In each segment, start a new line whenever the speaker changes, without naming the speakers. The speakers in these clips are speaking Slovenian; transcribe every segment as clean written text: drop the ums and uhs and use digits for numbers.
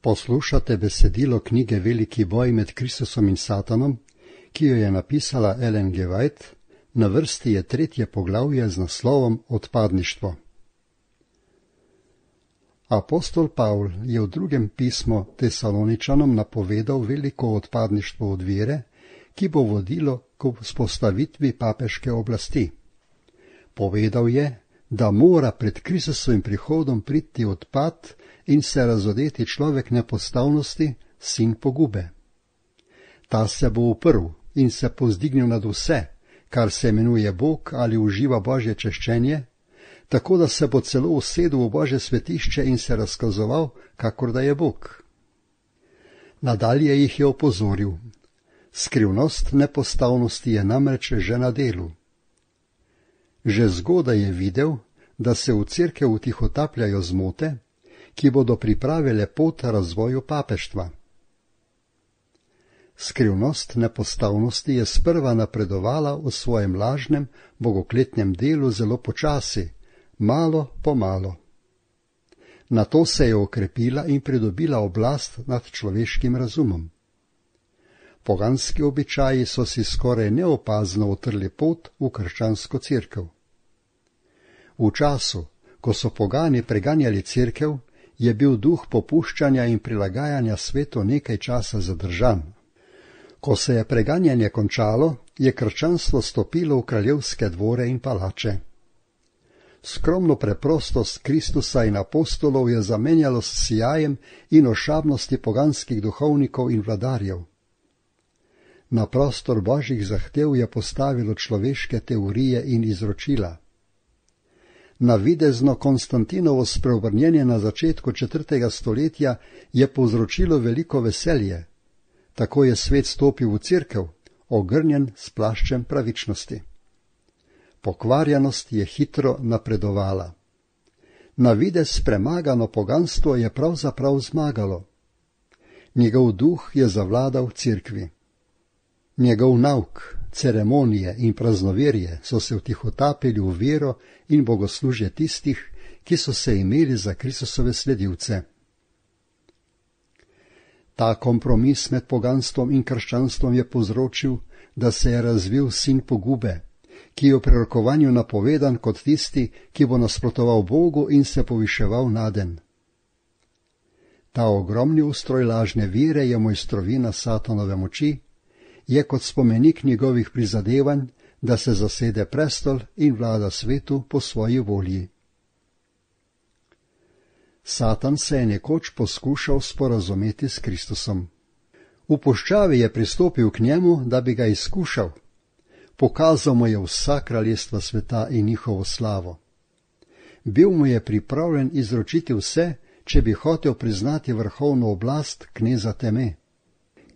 Poslušate besedilo knjige Veliki boj med Kristusom in Satanom, ki jo je napisala Ellen G. White. Na vrsti je 3. poglavje z naslovom Odpadništvo. Apostol Pavl je v 2. pismu Tesaloničanom napovedal veliko odpadništvo od vere, ki bo vodilo k vzpostavitvi papeške oblasti. Povedal je, da mora pred Kristusovim prihodom priti odpad in se razodeti človek nepostavnosti, sin pogube. Ta se bo uprl in se povzdignil nad vse, kar se imenuje Bog ali uživa Božje češčenje, tako da se bo celo usedel v Božje svetišče in se razkazoval, kakor da je Bog. Nadalje jih je opozoril. Skrivnost nepostavnosti je namreč že na delu. Že zgodaj je videl, da se v cerkev utihotapljajo zmote, ki bodo pripravile pot razvoju papeštva. Skrivnost nepostavnosti je sprva napredovala v svojem lažnem, bogokletnem delu zelo počasi, malo po malo. Nato se je okrepila in pridobila oblast nad človeškim razumom. Poganski običaji so si skoraj neopazno utrli pot v krščansko cerkev. V času, ko so pogani preganjali cerkev, je bil duh popuščanja in prilagajanja svetu nekaj časa zadržan. Ko se je preganjanje končalo, je krščanstvo stopilo v kraljevske dvore in palače. Skromno preprostost Kristusa in apostolov je zamenjalo s sijajem in ošabnosti poganskih duhovnikov in vladarjev. Na prostor božjih zahtev je postavilo človeške teorije in izročila. Navidezno Konstantinovo spreobrnjenje na začetku 4. stoletja je povzročilo veliko veselje. Tako je svet stopil v cerkev, ogrnjen s plaščem pravičnosti. Pokvarjenost je hitro napredovala. Navidez premagano poganstvo je pravzaprav zmagalo. Njegov duh je zavladal cerkvi. Njegov nauk, ceremonije in praznoverje so se vtihotapili v vero in bogoslužje tistih, ki so se imeli za Kristusove sledilce. Ta kompromis med poganstvom in krščanstvom je povzročil, da se je razvil sin pogube, ki je v prerokovanju napovedan kot tisti, ki bo nasprotoval Bogu in se poviševal naden. Ta ogromni ustroj lažne vere je mojstrovina Satanove moči, je kot spomenik njegovih prizadevanj, da se zasede prestol in vlada svetu po svoji volji. Satan se je nekoč poskušal sporazumeti s Kristusom. V puščavi je pristopil k njemu, da bi ga izkušal. Pokazal mu je vsa kraljestva sveta in njihovo slavo. Bil mu je pripravljen izročiti vse, če bi hotel priznati vrhovno oblast kneza teme.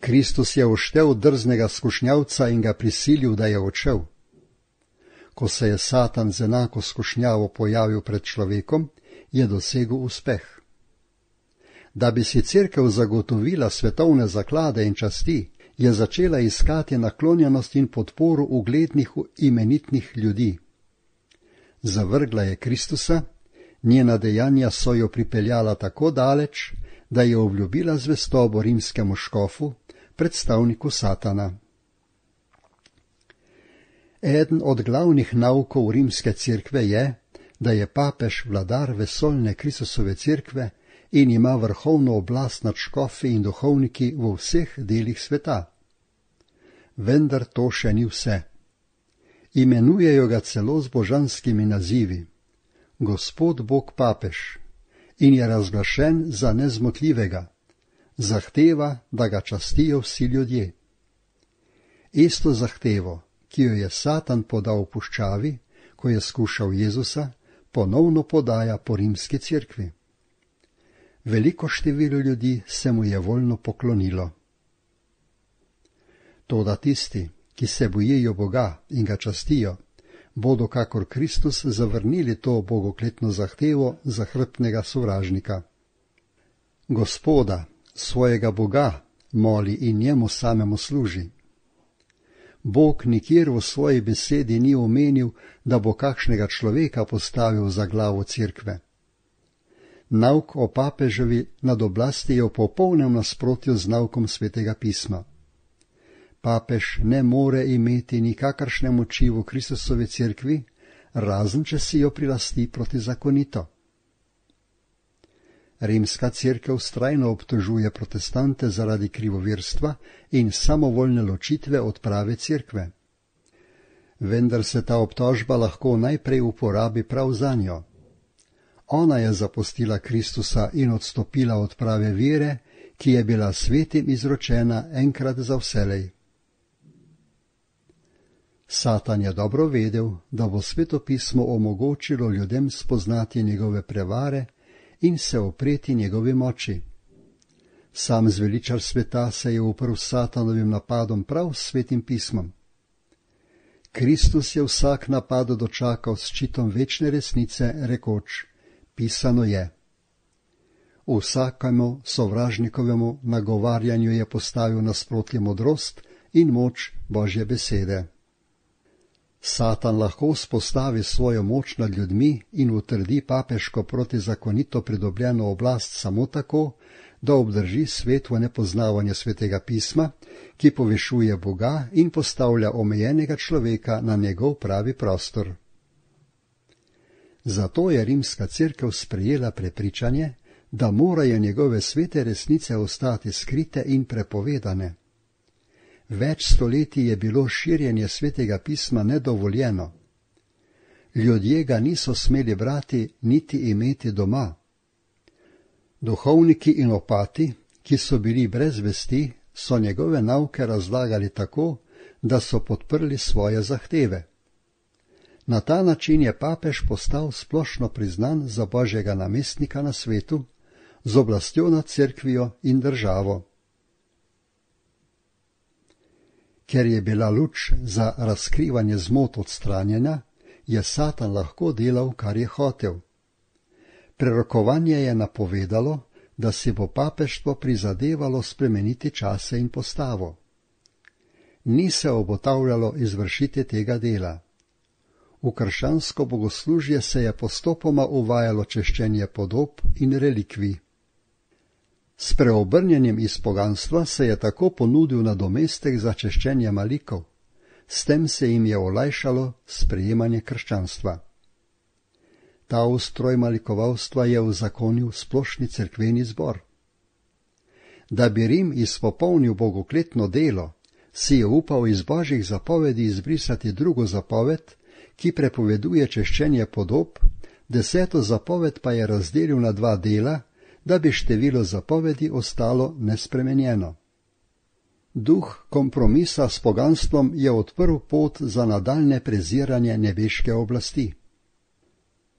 Kristus je uštel drznega skušnjavca in ga prisilil, da je odšel. Ko se je Satan z enako skušnjavo pojavil pred človekom, je dosegel uspeh. Da bi si cerkev zagotovila svetovne zaklade in časti, je začela iskati naklonjenost in podporo uglednih imenitnih ljudi. Zavrgla je Kristusa, njena dejanja so jo pripeljala tako daleč, da je obljubila zvestobo rimskemu škofu, predstavniku Satana. Eden od glavnih naukov rimske cerkve je, da je papež vladar vesoljne Kristusove cerkve in ima vrhovno oblast nad škofi in duhovniki v vseh delih sveta. Vendar to še ni vse. Imenujejo ga celo z božanskimi nazivi. Gospod Bog papež in je razglašen za nezmotljivega. Zahteva, da ga častijo vsi ljudje. Isto zahtevo, ki jo je Satan podal v puščavi, ko je skušal Jezusa, ponovno podaja po rimski cerkvi. Veliko število ljudi se mu je voljno poklonilo. Toda tisti, ki se bojijo Boga in ga častijo, bodo kakor Kristus zavrnili to bogokletno zahtevo zahrbtnega sovražnika. Gospoda, svojega Boga, moli in njemu samemu služi. Bog nikjer v svoji besedi ni omenil, da bo kakšnega človeka postavil za glavo cerkve. Nauk o papeževi nad oblasti je v popolnem nasprotju z naukom Svetega pisma. Papež ne more imeti nikakršne moči v Kristusovi cerkvi, razen če si jo prilasti protizakonito. Rimska cerkev vztrajno obtožuje protestante zaradi krivovirstva in samovoljne ločitve od prave cerkve. Vendar se ta obtožba lahko najprej uporabi prav zanjo. Ona je zapustila Kristusa in odstopila od prave vere, ki je bila svetim izročena enkrat za vselej. Satan je dobro vedel, da bo svetopismo omogočilo ljudem spoznati njegove prevare in se opreti njegovi moči. Sam zveličar sveta se je uprl Satanovim napadom prav s Svetim pismom. Kristus je vsak napad dočakal s ščitom večne resnice, rekoč: pisano je. Vsakemu sovražnikovemu nagovarjanju je postavil nasprotje modrost in moč Božje besede. Satan lahko vzpostavi svojo moč nad ljudmi in utrdi papeško protizakonito pridobljeno oblast samo tako, da obdrži svet v nepoznavanje Svetega pisma, ki povišuje Boga in postavlja omejenega človeka na njegov pravi prostor. Zato je rimska cerkev sprejela prepričanje, da morajo njegove svete resnice ostati skrite in prepovedane. Več stoletij je bilo širjenje Svetega pisma nedovoljeno. Ljudje ga niso smeli brati niti imeti doma. Duhovniki in opati, ki so bili brez vesti, so njegove nauke razlagali tako, da so podprli svoje zahteve. Na ta način je papež postal splošno priznan za Božjega namestnika na svetu, z oblastjo nad cerkvijo in državo. Ker je bila luč za razkrivanje zmot odstranjena, je Satan lahko delal, kar je hotel. Prerokovanje je napovedalo, da si bo papeštvo prizadevalo spremeniti čase in postavo. Ni se obotavljalo izvršiti tega dela. V krščansko bogoslužje se je postopoma uvajalo češčenje podob in relikvij. S preobrnjenjem iz poganstva se je tako ponudil nadomestek za češčenje malikov, s tem se jim je olajšalo sprejemanje krščanstva. Ta ustroj malikovalstva je uzakonil splošni cerkveni zbor. Da bi Rim izpopolnil bogokletno delo, si je upal iz Božjih zapovedi izbrisati drugo zapoved, ki prepoveduje češčenje podob, 10. zapoved pa je razdelil na 2 dela, da bi število zapovedi ostalo nespremenjeno. Duh kompromisa s poganstvom je odprl pot za nadaljne preziranje nebeške oblasti.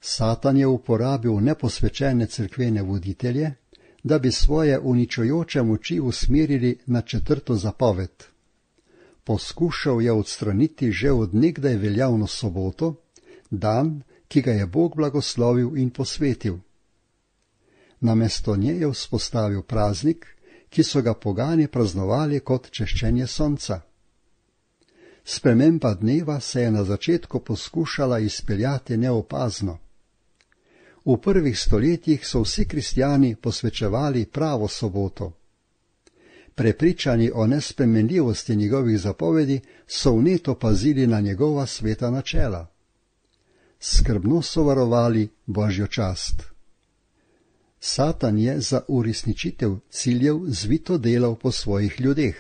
Satan je uporabil neposvečene cerkvene voditelje, da bi svoje uničujoče moči usmerili na 4. zapoved. Poskušal je odstraniti že od nekdaj veljavno soboto, dan, ki ga je Bog blagoslovil in posvetil. Namesto nje je vzpostavil praznik, ki so ga pogani praznovali kot češčenje sonca. Sprememba dneva se je na začetku poskušala izpeljati neopazno. V prvih stoletjih so vsi kristjani posvečevali pravo soboto. Prepričani o nespremenljivosti njegovih zapovedi so vneto pazili na njegova sveta načela. Skrbno so varovali Božjo čast. Satan je za uresničitev ciljev zvito delal po svojih ljudeh.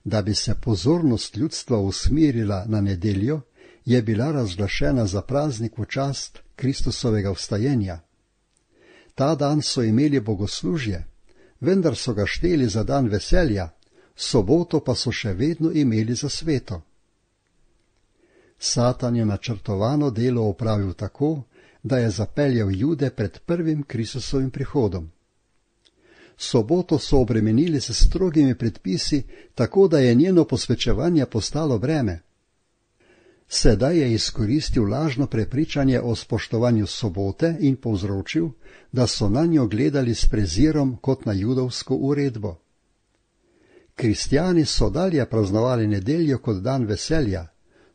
Da bi se pozornost ljudstva usmerila na nedeljo, je bila razglašena za praznik v čast Kristusovega vstajenja. Ta dan so imeli bogoslužje, vendar so ga šteli za dan veselja, soboto pa so še vedno imeli za sveto. Satan je načrtovano delo opravil tako, da je zapeljal Jude pred prvim Kristusovim prihodom. Soboto so obremenili s strogimi predpisi, tako da je njeno posvečevanje postalo breme. Sedaj je izkoristil lažno prepričanje o spoštovanju sobote in povzročil, da so nanjo gledali s prezirom kot na judovsko uredbo. Kristjani so dalje praznovali nedeljo kot dan veselja,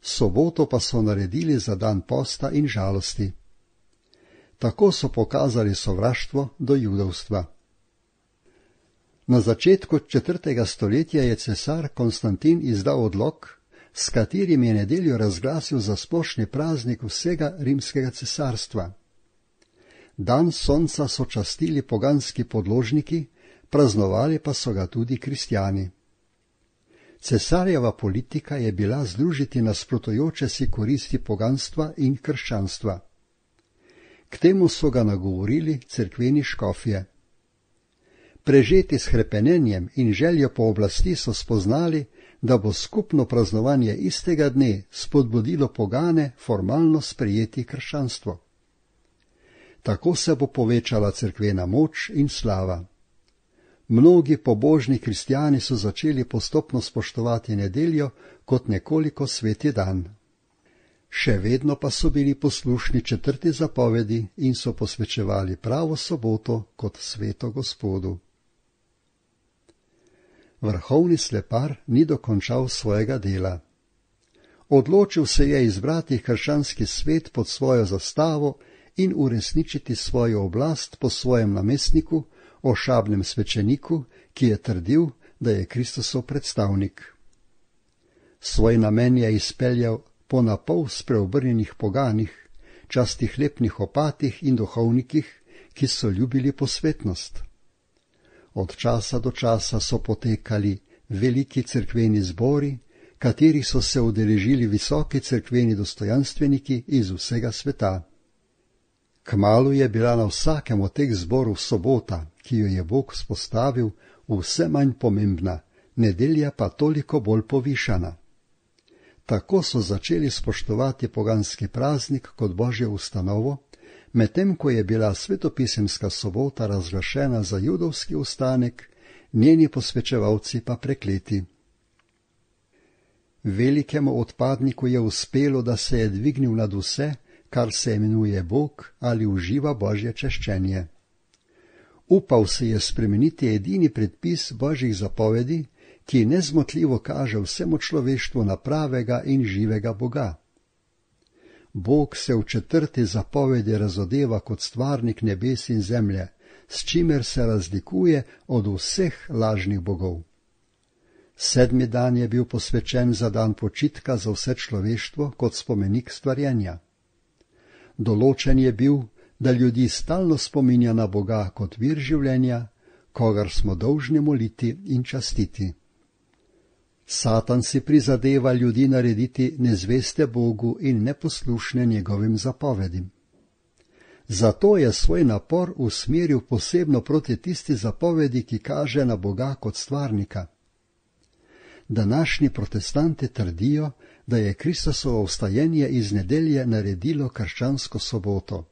soboto pa so naredili za dan posta in žalosti. Tako so pokazali sovraštvo do judovstva. Na začetku 4. stoletja je cesar Konstantin izdal odlok, s katerim je nedeljo razglasil za splošni praznik vsega rimskega cesarstva. Dan sonca so častili poganski podložniki, praznovali pa so ga tudi kristjani. Cesarjeva politika je bila združiti nasprotujoče si koristi poganstva in krščanstva. K temu so ga nagovorili cerkveni škofje. Prežeti s hrepenenjem in željo po oblasti so spoznali, da bo skupno praznovanje istega dne spodbudilo pogane formalno sprejeti krščanstvo. Tako se bo povečala cerkvena moč in slava. Mnogi pobožni kristjani so začeli postopno spoštovati nedeljo kot nekoliko sveti dan. Še vedno pa so bili poslušni 4. zapovedi in so posvečevali pravo soboto kot sveto Gospodu. Vrhovni slepar ni dokončal svojega dela. Odločil se je izbrati krščanski svet pod svojo zastavo in uresničiti svojo oblast po svojem namestniku, ošabnem svečeniku, ki je trdil, da je Kristusov predstavnik. Svoj namen je izpeljal po napol spreobrnjenih poganih, častih lepnih opatih in duhovnikih, ki so ljubili posvetnost. Od časa do časa so potekali veliki cerkveni zbori, katerih so se udeležili visoki cerkveni dostojanstveniki iz vsega sveta. Kmalu je bila na vsakem od teh zborov sobota, ki jo je Bog vzpostavil, vse manj pomembna, nedelja pa toliko bolj povišana. Tako so začeli spoštovati poganski praznik kot božjo ustanovo, medtem ko je bila svetopisemska sobota razglašena za judovski ustanek, njeni posvečevalci pa prekleti. Velikemu odpadniku je uspelo, da se je dvignil nad vse, kar se imenuje Bog ali uživa božje češčenje. Upal se je spremeniti edini predpis božjih zapovedi, ki nezmotljivo kaže vsemu človeštvu na pravega in živega Boga. Bog se v 4. zapovedi razodeva kot stvarnik nebes in zemlje, s čimer se razlikuje od vseh lažnih bogov. 7. dan je bil posvečen za dan počitka za vse človeštvo kot spomenik stvarjenja. Določen je bil, da ljudi stalno spominja na Boga kot vir življenja, kogar smo dolžni moliti in častiti. Satan si prizadeva ljudi narediti nezveste Bogu in neposlušne njegovim zapovedim. Zato je svoj napor usmeril posebno proti tisti zapovedi, ki kaže na Boga kot stvarnika. Današnji protestanti trdijo, da je Kristusovo vstajenje iz nedelje naredilo krščansko soboto.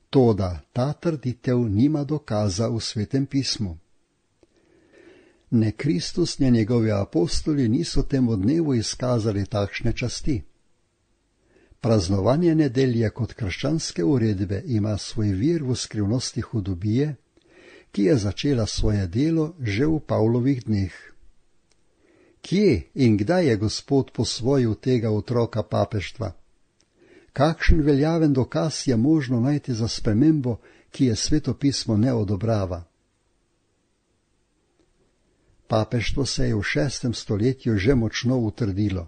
Toda ta trditev nima dokaza v Svetem pismu. Ne Kristus, ne njegovi apostoli niso temu dnevu izkazali takšne časti. Praznovanje nedelje kot krščanske uredbe ima svoj vir v skrivnosti hudobije, ki je začela svoje delo že v Pavlovih dneh. Kje in kdaj je Gospod posvojil tega otroka papeštva? Kakšen veljaven dokaz je možno najti za spremembo, ki je Sveto pismo ne odobrava? Papeštvo se je v 6. stoletju že močno utrdilo.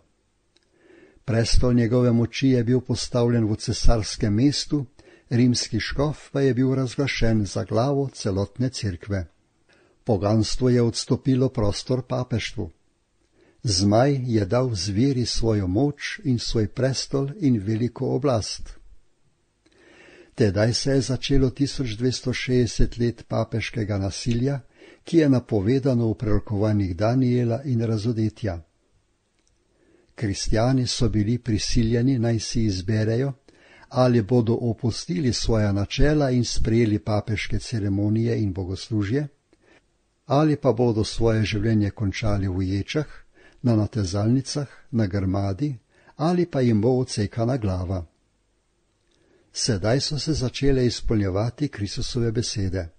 Prestol njegove moči je bil postavljen v cesarskem mestu, rimski škof pa je bil razglašen za glavo celotne cerkve. Poganstvo je odstopilo prostor papeštvu. Zmaj je dal zveri svojo moč in svoj prestol in veliko oblast. Tedaj se je začelo 1260 let papeškega nasilja, ki je napovedano v prerokovanjih Daniela in Razodetja. Kristjani so bili prisiljeni naj si izberejo, ali bodo opustili svoja načela in sprejeli papeške ceremonije in bogoslužje, ali pa bodo svoje življenje končali v ječah, na natezalnicah, na grmadi, ali pa jim bo odsekana glava. Sedaj so se začele izpolnjevati Kristusove besede.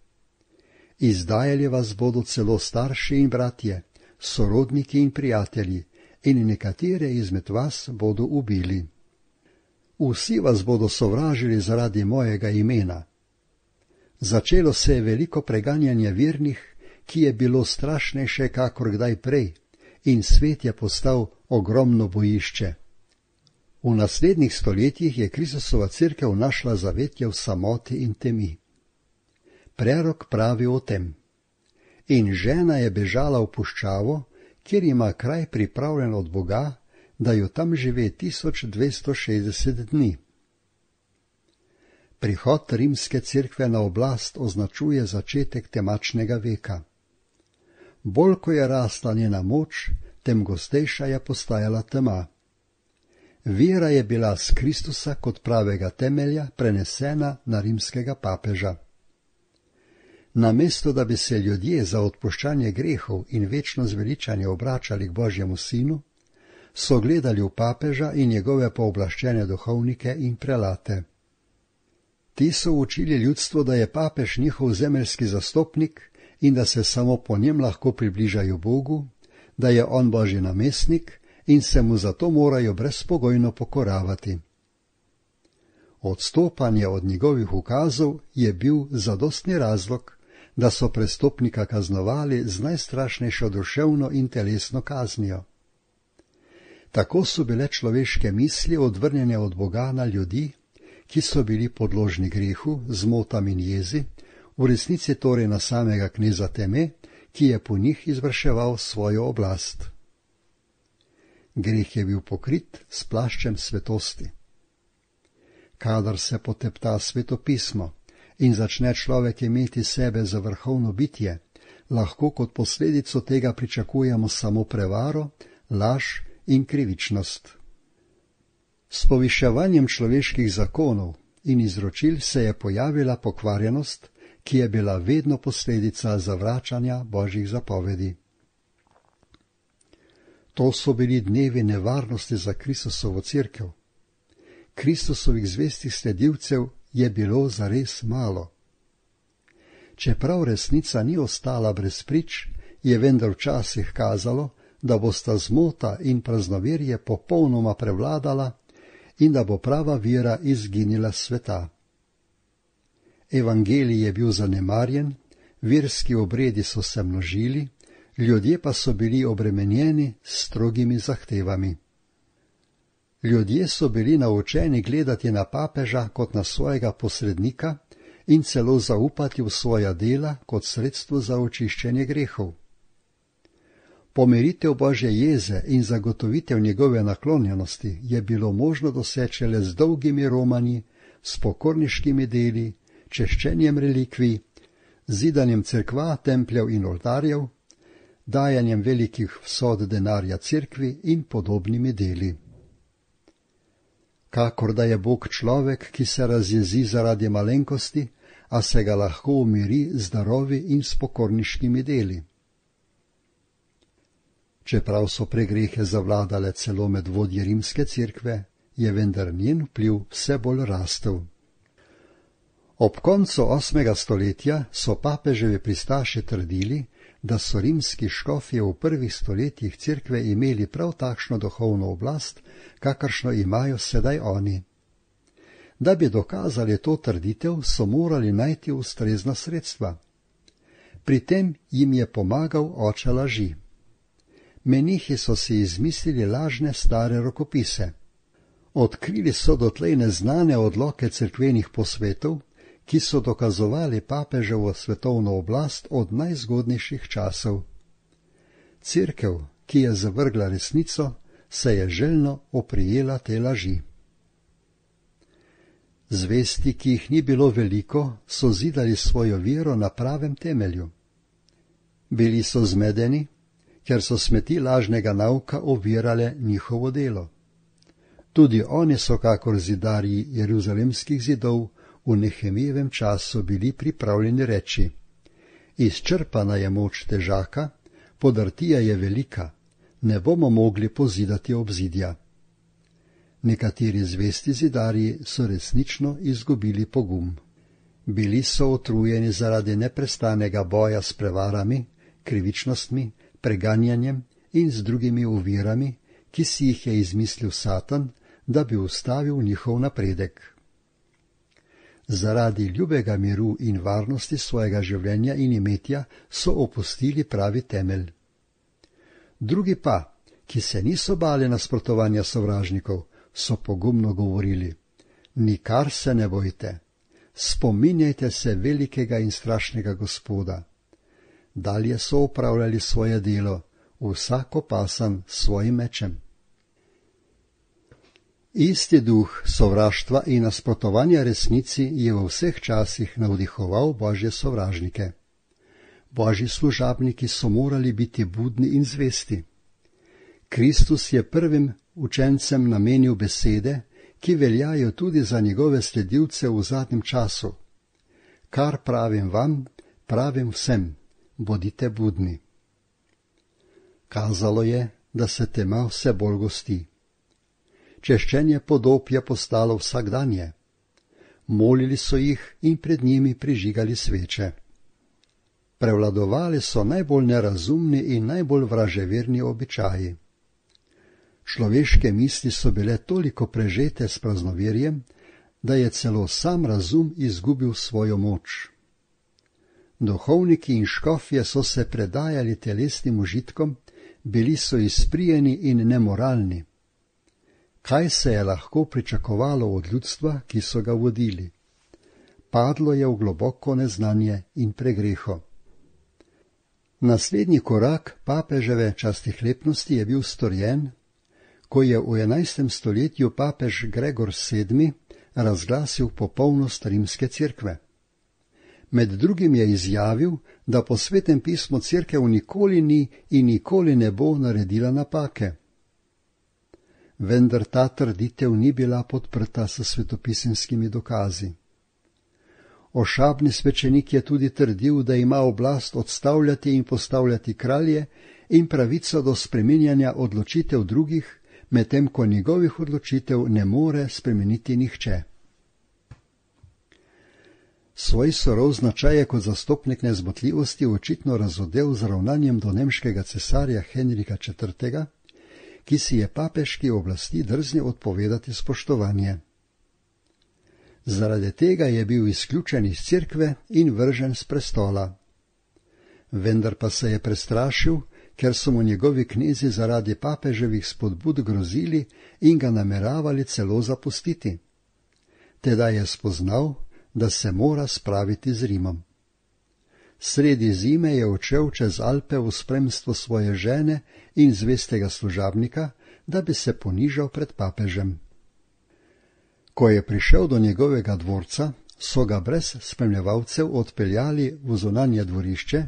Izdajali vas bodo celo starši in bratje, sorodniki in prijatelji, in nekatere izmed vas bodo ubili. Vsi vas bodo sovražili zaradi mojega imena. Začelo se je veliko preganjanje vernih, ki je bilo strašnejše kakor kdaj prej, in svet je postal ogromno bojišče. V naslednjih stoletjih je Kristusova cerkev našla zavetje v samoti in temi. Prerok pravi o tem: in žena je bežala v puščavo, kjer ima kraj pripravljen od Boga, da jo tam žive 1260 dni. Prihod rimske cerkve na oblast označuje začetek temačnega veka. Bolj ko je rasla njena moč, tem gostejša je postajala tema. Vera je bila s Kristusa kot pravega temelja prenesena na rimskega papeža. Namesto da bi se ljudje za odpuščanje grehov in večno zveličanje obračali k Božjemu sinu, so gledali v papeža in njegove pooblaščene duhovnike in prelate. Ti so učili ljudstvo, da je papež njihov zemeljski zastopnik in da se samo po njem lahko približajo Bogu, da je on Božji namestnik in se mu zato morajo brezpogojno pokoravati. Odstopanje od njegovih ukazov je bil zadostni razlog, da so prestopnika kaznovali z najstrašnejšo duševno in telesno kaznijo. Tako so bile človeške misli odvrnjene od Boga na ljudi, ki so bili podložni grehu, zmotam in jezi, v resnici torej na samega kneza teme, ki je po njih izvrševal svojo oblast. Greh je bil pokrit s plaščem svetosti. Kadar se potepta svetopismo in začne človek imeti sebe za vrhovno bitje, lahko kot posledico tega pričakujemo samo prevaro, laž in krivičnost. S poviševanjem človeških zakonov in izročil se je pojavila pokvarjenost, ki je bila vedno posledica zavračanja Božjih zapovedi. To so bili dnevi nevarnosti za Kristusovo cerkev. Kristusovih zvestih sledilcev je bilo zares malo. Čeprav resnica ni ostala brez prič, je vendar včasih kazalo, da bosta zmota in praznoverje popolnoma prevladala in da bo prava vera izginila s sveta. Evangelij je bil zanemarjen, verski obredi so se množili, ljudje pa so bili obremenjeni s strogimi zahtevami. Ljudje so bili naučeni gledati na papeža kot na svojega posrednika in celo zaupati v svoja dela kot sredstvo za očiščenje grehov. Pomiritev Božje jeze in zagotovitev njegove naklonjenosti je bilo možno doseči le z dolgimi romanji, s pokorniškimi deli, češčenjem relikvij, zidanjem cerkva, templjev in oltarjev, dajanjem velikih vsod denarja cerkvi in podobnimi deli. Kakor da je Bog človek, ki se razjezi zaradi malenkosti, a se ga lahko umiri z darovi in s pokorniškimi deli. Čeprav so pregrehe zavladale celo med vodje rimske cerkve, je vendar njen vpliv vse bolj rastel. Ob koncu 8. stoletja so papeževi pristaši trdili, da so rimski škofje v prvih stoletjih cerkve imeli prav takšno duhovno oblast, kakršno imajo sedaj oni. Da bi dokazali to trditev, so morali najti ustrezna sredstva. Pri tem jim je pomagal oče laži. Menihi so si izmislili lažne stare rokopise. Odkrili so dotlej neznane odloke cerkvenih posvetov, ki so dokazovali papeževo svetovno oblast od najzgodnejših časov. Cerkev, ki je zavrgla resnico, se je željno oprijela te laži. Zvesti, ki jih ni bilo veliko, so zidali svojo vero na pravem temelju. Bili so zmedeni, ker so smeti lažnega nauka ovirale njihovo delo. Tudi oni so kakor zidarji jeruzalemskih zidov v Nehemijevem času bili pripravljeni reči: izčrpana je moč težaka, podrtija je velika, ne bomo mogli pozidati obzidja. Nekateri zvesti zidarji so resnično izgubili pogum. Bili so utrujeni zaradi neprestanega boja s prevarami, krivičnostmi, preganjanjem in z drugimi ovirami, ki si jih je izmislil Satan, da bi ustavil njihov napredek. Zaradi ljubega miru in varnosti svojega življenja in imetja so opustili pravi temelj. Drugi pa, ki se niso bali nasprotovanja sovražnikov, so pogumno govorili: nikar se ne bojte, spominjajte se velikega in strašnega Gospoda. Dalje so opravljali svoje delo, vsak opasan s svojim mečem. Isti duh sovraštva in nasprotovanja resnici je v vseh časih navdihoval Božje sovražnike. Božji služabniki so morali biti budni in zvesti. Kristus je prvim učencem namenil besede, ki veljajo tudi za njegove sledilce v zadnjem času. Kar pravim vam, pravim vsem, bodite budni. Kazalo je, da se tema vse bolj gosti. Češčenje podob je postalo vsakdanje. Molili so jih in pred njimi prižigali sveče. Prevladovali so najbolj nerazumni in najbolj vraževerni običaji. Človeške misli so bile toliko prežete s praznoverjem, da je celo sam razum izgubil svojo moč. Duhovniki in škofje so se predajali telesnim užitkom, bili so izprijeni in nemoralni. Kaj se je lahko pričakovalo od ljudstva, ki so ga vodili? Padlo je v globoko neznanje in pregreho. Naslednji korak papeževe častihlepnosti je bil storjen, ko je v 11. stoletju papež Gregor VII. Razglasil popolnost rimske cerkve. Med drugim je izjavil, da po Svetem pismu cerkev nikoli ni in nikoli ne bo naredila napake. Vendar ta trditev ni bila podprta s svetopisemskimi dokazi. Ošabni svečenik je tudi trdil, da ima oblast odstavljati in postavljati kralje in pravico do spreminjanja odločitev drugih, medtem ko njegovih odločitev ne more spremeniti nihče. Svoj surov značaj je kot zastopnik nezmotljivosti očitno razodel z ravnanjem do nemškega cesarja Henrika IV., ki si je papeški oblasti drznil odpovedati spoštovanje. Zaradi tega je bil izključen iz cerkve in vržen s prestola. Vendar pa se je prestrašil, ker so mu njegovi knezi zaradi papeževih spodbud grozili in ga nameravali celo zapustiti. Tedaj je spoznal, da se mora spraviti z Rimom. Sredi zime je odšel čez Alpe v spremstvu svoje žene in zvestega služabnika, da bi se ponižal pred papežem. Ko je prišel do njegovega dvorca, so ga brez spremljevalcev odpeljali v zunanje dvorišče,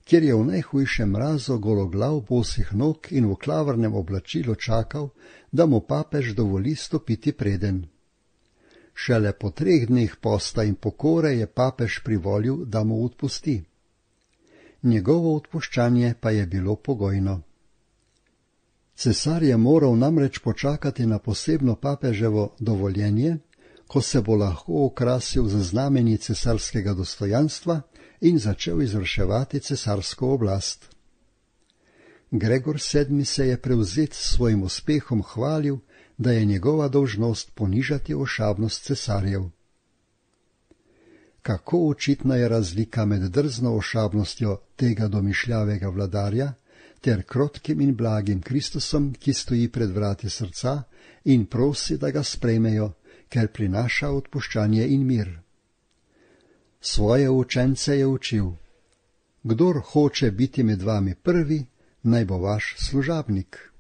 kjer je v najhujšem mrazu gologlav bosih nog in v klavrnem oblačilu čakal, da mu papež dovoli stopiti preden. Šele po 3 dneh posta in pokore je papež privolil, da mu odpusti. Njegovo odpuščanje pa je bilo pogojno. Cesar je moral namreč počakati na posebno papeževo dovoljenje, ko se bo lahko okrasil z znamenji cesarskega dostojanstva in začel izvrševati cesarsko oblast. Gregor VII. Se je prevzet s svojim uspehom hvalil, da je njegova dolžnost ponižati ošabnost cesarjev. Kako očitna je razlika med drzno ošabnostjo tega domišljavega vladarja ter krotkim in blagim Kristusom, ki stoji pred vrati srca in prosi, da ga sprejmejo, ker prinaša odpuščanje in mir. Svoje učence je učil: kdor hoče biti med vami prvi, naj bo vaš služabnik.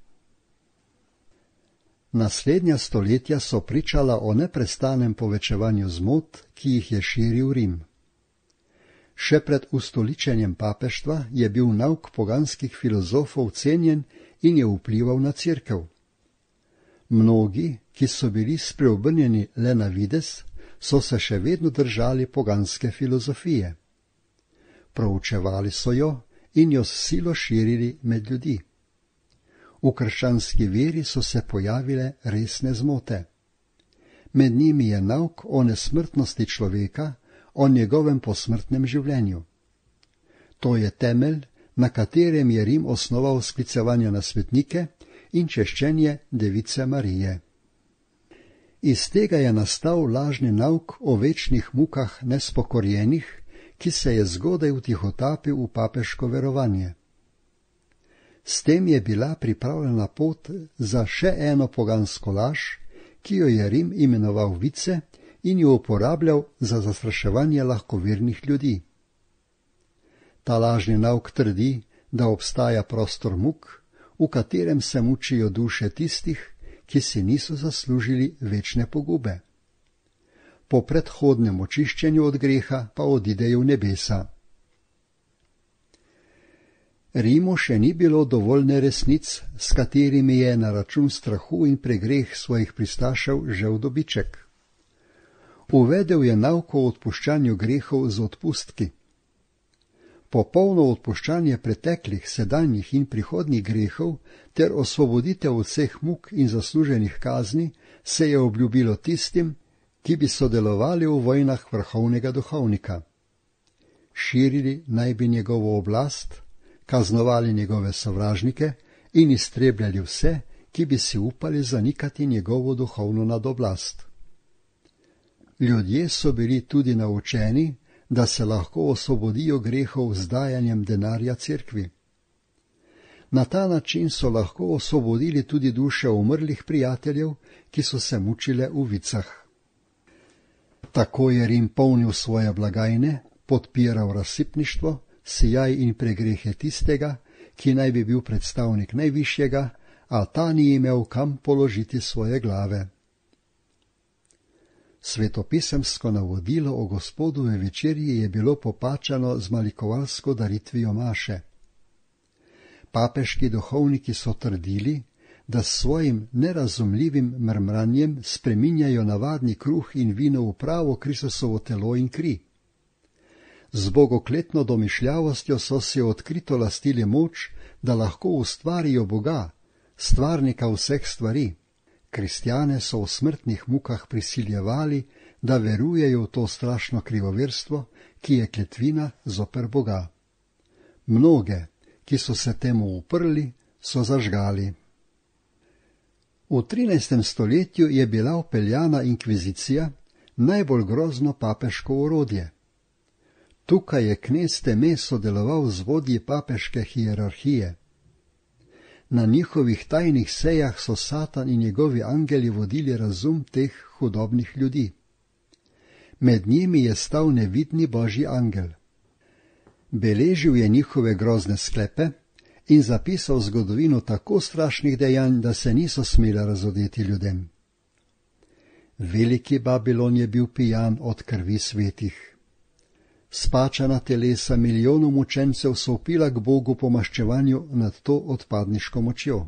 Naslednja stoletja so pričala o neprestanem povečevanju zmot, ki jih je širil Rim. Še pred ustoličenjem papeštva je bil nauk poganskih filozofov cenjen in je vplival na cerkev. Mnogi, ki so bili spreobrnjeni le na videz, so se še vedno držali poganske filozofije. Proučevali so jo in jo s silo širili med ljudi. V krščanski veri so se pojavile resne zmote. Med njimi je nauk o nesmrtnosti človeka, o njegovem posmrtnem življenju. To je temelj, na katerem je Rim osnoval sklicevanje na svetnike in češčenje Device Marije. Iz tega je nastal lažni nauk o večnih mukah nespokorjenih, ki se je zgodaj vtihotapil v papeško verovanje. S tem je bila pripravljena pot za še eno pogansko laž, ki jo je Rim imenoval vice in jo uporabljal za zastraševanje lahkovernih ljudi. Ta lažni nauk trdi, da obstaja prostor muk, v katerem se mučijo duše tistih, ki si niso zaslužili večne pogube. Po predhodnem očiščenju od greha pa odidejo v nebesa. Rimu še ni bilo dovolj neresnic, s katerimi je na račun strahu in pregreh svojih pristašev žel dobiček. Uvedel je nauk o odpuščanju grehov z odpustki. Popolno odpuščanje preteklih, sedanjih in prihodnjih grehov ter osvoboditev od vseh muk in zasluženih kazni se je obljubilo tistim, ki bi sodelovali v vojnah vrhovnega duhovnika. Širili naj bi njegovo oblast, kaznovali njegove sovražnike in iztrebljali vse, ki bi si upali zanikati njegovo duhovno nadoblast. Ljudje so bili tudi naučeni, da se lahko osvobodijo grehov z dajanjem denarja cerkvi. Na ta način so lahko osvobodili tudi duše umrlih prijateljev, ki so se mučile v vicah. Tako je Rim polnil svoje blagajne, podpiral razsipništvo, sijaj in pregrehe tistega, ki naj bi bil predstavnik najvišjega, a ta ni imel kam položiti svoje glave. Svetopisemsko navodilo o Gospodove večerji je bilo popačano z malikovalsko daritvijo maše. Papeški duhovniki so trdili, da s svojim nerazumljivim mrmranjem spreminjajo navadni kruh in vino v pravo Kristusovo telo in kri. Z bogokletno domišljavostjo so si odkrito lastili moč, da lahko ustvarijo Boga, stvarnika vseh stvari. Kristjane so v smrtnih mukah prisiljevali, da verujejo v to strašno krivoverstvo, ki je kletvina zoper Boga. Mnoge, ki so se temu uprli, so zažgali. V 13. stoletju je bila vpeljana inkvizicija, najbolj grozno papeško orodje. Tukaj je knez Teme sodeloval z vodji papeške hierarhije. Na njihovih tajnih sejah so Satan in njegovi angeli vodili razum teh hudobnih ljudi. Med njimi je stal nevidni božji angel. Beležil je njihove grozne sklepe in zapisal zgodovino tako strašnih dejanj, da se niso smela razodeti ljudem. Veliki Babilon je bil pijan od krvi svetih. Spačana telesa milijonov mučencev so vpila k Bogu po maščevanju nad to odpadniško močjo.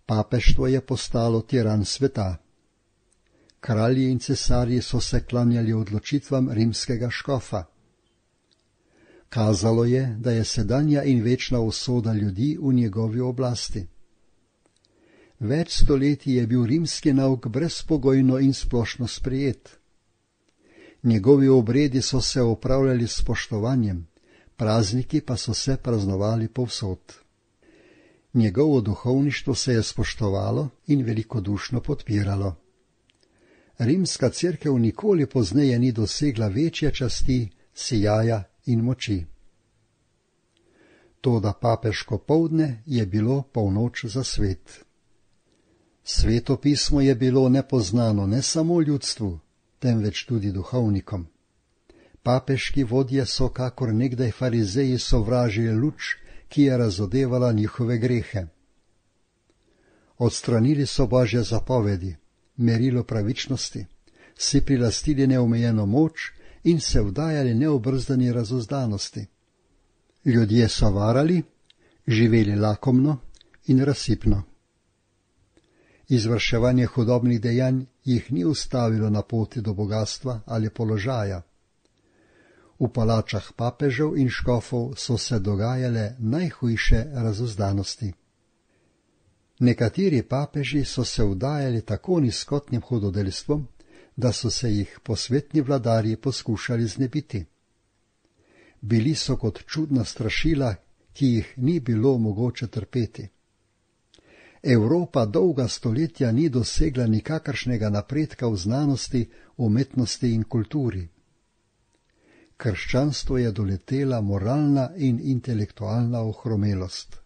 Papeštvo je postalo tiran sveta. Kralji in cesarji so se klanjali odločitvam rimskega škofa. Kazalo je, da je sedanja in večna usoda ljudi v njegovi oblasti. Več stoletij je bil rimski nauk brezpogojno in splošno sprejet. Njegovi obredi so se opravljali s spoštovanjem, prazniki pa so se praznovali povsod. Njegovo duhovništvo se je spoštovalo in velikodušno podpiralo. Rimska cerkev nikoli pozneje ni dosegla večje časti, sijaja in moči. Toda papeško poldne je bilo polnoč za svet. Sveto pismo je bilo nepoznano ne samo ljudstvu, temveč tudi duhovnikom. Papeški vodje so kakor nekdaj farizeji sovražili luč, ki je razodevala njihove grehe. Odstranili so božje zapovedi, merilo pravičnosti, si prilastili neomejeno moč in se vdajali neobrzdani razuzdanosti. Ljudje so varali, živeli lakomno in razsipno. Izvrševanje hudobnih dejanj jih ni ustavilo na poti do bogatstva ali položaja. V palačah papežev in škofov so se dogajale najhujše razuzdanosti. Nekateri papeži so se vdajali tako nizkotnim hudodelstvom, da so se jih posvetni vladarji poskušali znebiti. Bili so kot čudna strašila, ki jih ni bilo mogoče trpeti. Evropa dolga stoletja ni dosegla nikakršnega napredka v znanosti, umetnosti in kulturi. Krščanstvo je doletela moralna in intelektualna ohromelost.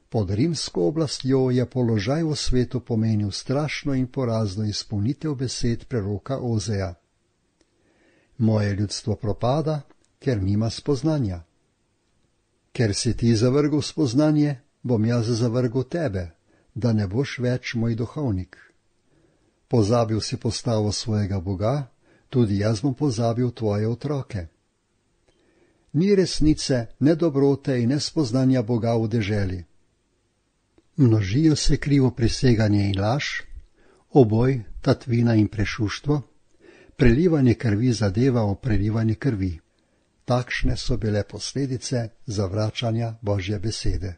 Pod rimsko oblastjo je položaj v svetu pomenil strašno in porazno izpolnitev besed preroka Ozeja. Moje ljudstvo propada, ker nima spoznanja. Ker si ti zavrgel spoznanje, bom jaz zavrgel tebe, da ne boš več moj duhovnik. Pozabil si postavo svojega Boga, tudi jaz bom pozabil tvoje otroke. Ni resnice, ne dobrote in ne spoznanja Boga v deželi. Množijo se krivo priseganje in laž, oboj, tatvina in prešuštvo, prelivanje krvi zadeva o prelivanje krvi. Takšne so bile posledice zavračanja Božje besede.